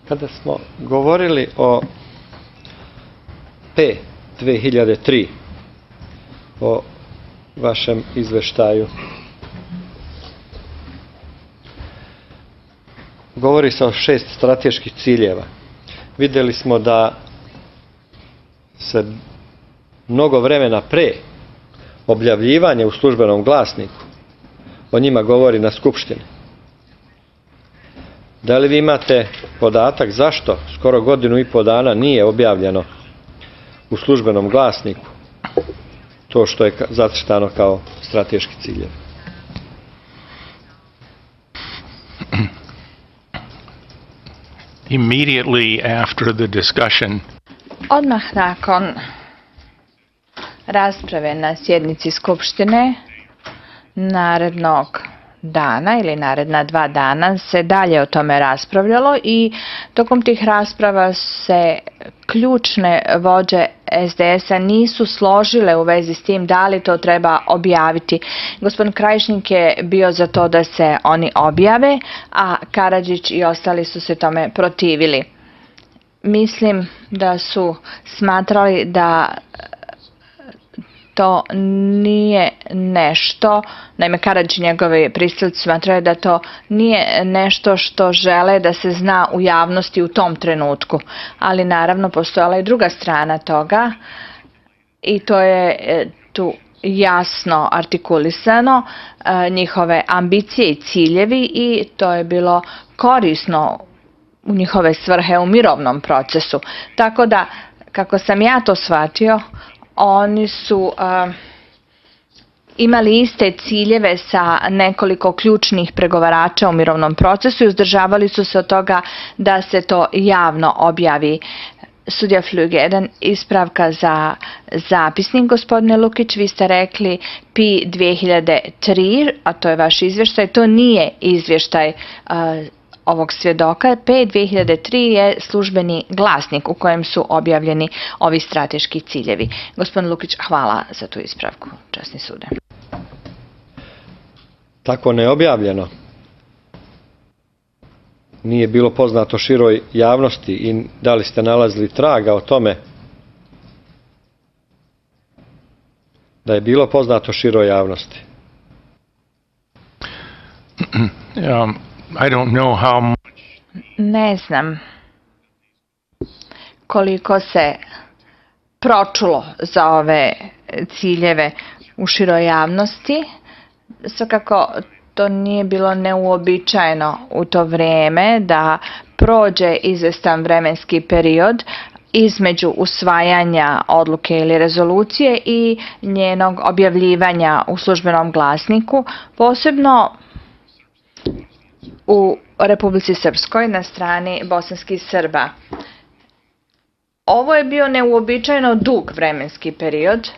Kada smo govorili o P 2003, o vašem izveštaju, govori se o 6 strateških ciljeva. Vidjeli smo da se mnogo vremena pre objavljivanja u službenom glasniku o njima govori na Skupštini. Da li vi imate podatak zašto skoro 1,5 godina nije objavljeno u službenom glasniku to što je zacrtano kao strateški ciljevi? Immediately after the discussion, odmah nakon rasprave na sjednici Skupštine, narednog dana ili naredna 2 dana se dalje o tome raspravljalo i tokom tih rasprava se ključne vođe SDS-a nisu složile u vezi s tim da li to treba objaviti. Gospodin Krajišnik je bio za to da se oni objave, a Karadžić i ostali su se tome protivili. Mislim da su smatrali da to nije nešto, naime Karadžić i njegovi pristalice smatraju da to nije nešto što žele da se zna u javnosti u tom trenutku. Ali naravno postojala je druga strana toga i to je tu jasno artikulisano, njihove ambicije i ciljevi, i to je bilo korisno u njihove svrhe u mirovnom procesu. Tako da, kako sam ja to shvatio, oni su imali iste ciljeve sa nekoliko ključnih pregovarača u mirovnom procesu i uzdržavali su se od toga da se to javno objavi. Sudija Flug, jedan ispravka za zapisnik, gospodine Lukić, vi ste rekli P 2003, a to je vaš izvještaj, to nije izvještaj ovog svjedoka. P 2003 je službeni glasnik u kojem su objavljeni ovi strateški ciljevi. Gospodin Lukić, hvala za tu ispravku, časni sude. Tako neobjavljeno nije bilo poznato široj javnosti i da li ste nalazili traga o tome da je bilo poznato široj javnosti? I don't know how much. Ne znam koliko se pročulo za ove ciljeve u široj javnosti. Svakako to nije bilo neuobičajeno u to vrijeme da prođe izvestan vremenski period između usvajanja odluke ili rezolucije i njenog objavljivanja u službenom glasniku, posebno u Republici Srpskoj na strani bosanskih Srba. Ovo je bio neuobičajeno dug vremenski period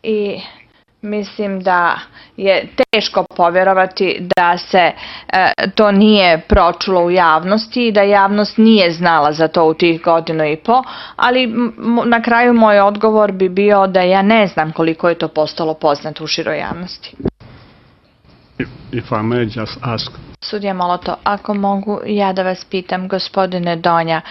i mislim da je teško povjerovati da se to nije pročulo u javnosti i da javnost nije znala za to u tih 1,5 godina, ali na kraju moj odgovor bi bio da ja ne znam koliko je to postalo poznato u široj javnosti. If I may just ask. Sudija Moloto, ako mogu ja da vas pitam, gospodine Donja,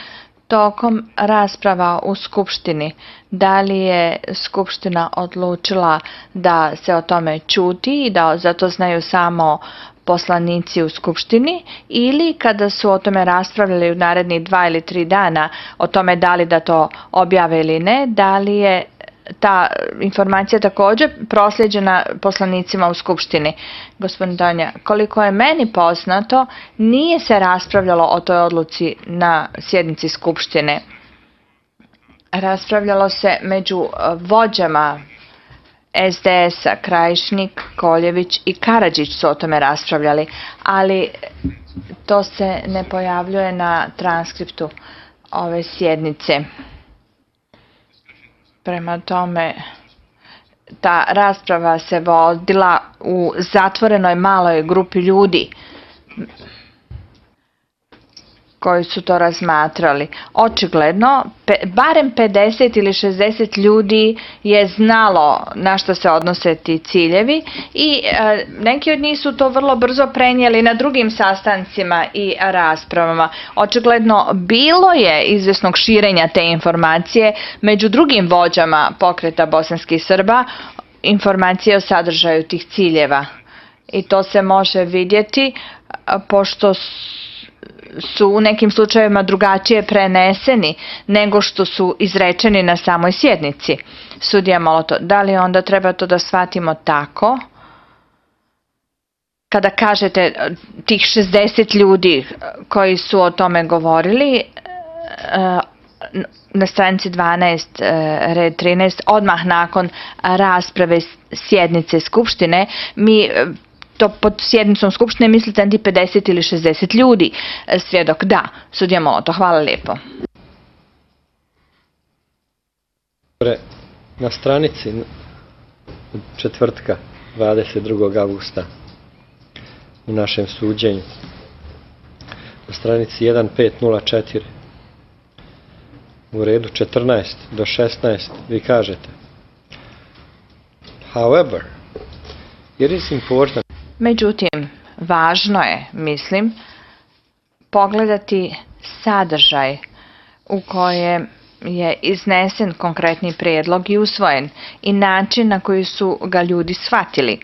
tokom rasprava u Skupštini, da li je Skupština odlučila da se o tome ćuti i da za to znaju samo poslanici u Skupštini, ili kada su o tome raspravljali u narednih 2 ili 3 dana o tome da li da to objave ili ne, da li je ta informacija također prosljeđena poslanicima u Skupštini? Gospodin Donja, koliko je meni poznato, nije se raspravljalo o toj odluci na sjednici Skupštine. Raspravljalo se među vođama SDS-a, Krajišnik, Koljević i Karadžić su o tome raspravljali, ali to se ne pojavljuje na transkriptu ove sjednice. Prema tome, ta rasprava se vodila u zatvorenoj maloj grupi ljudi. koji su to razmatrali. Očigledno, barem 50 ili 60 ljudi je znalo na što se odnose ti ciljevi i neki od njih su to vrlo brzo prenijeli na drugim sastancima i raspravama. Očigledno bilo je izvjesnog širenja te informacije među drugim vođama pokreta bosanskih Srba, informacije o sadržaju tih ciljeva. I to se može vidjeti pošto su u nekim slučajevima drugačije preneseni nego što su izrečeni na samoj sjednici. Sudija Molotov, da li onda treba to da shvatimo tako? Kada kažete tih 60 ljudi koji su o tome govorili, na stranici 12, red 13, odmah nakon rasprave sjednice Skupštine, mi to pod sjednicom Skupštine mislite na 50 ili 60 ljudi. Svjedok, da. Sudija Molotov, hvala lijepo. Na stranici četvrtka 22. augusta u našem suđenju, na stranici 1504, u redu 14 do 16, vi kažete: However, it is important. Međutim, važno je, mislim, pogledati sadržaj u kojem je iznesen konkretni prijedlog i usvojen i način na koji su ga ljudi shvatili.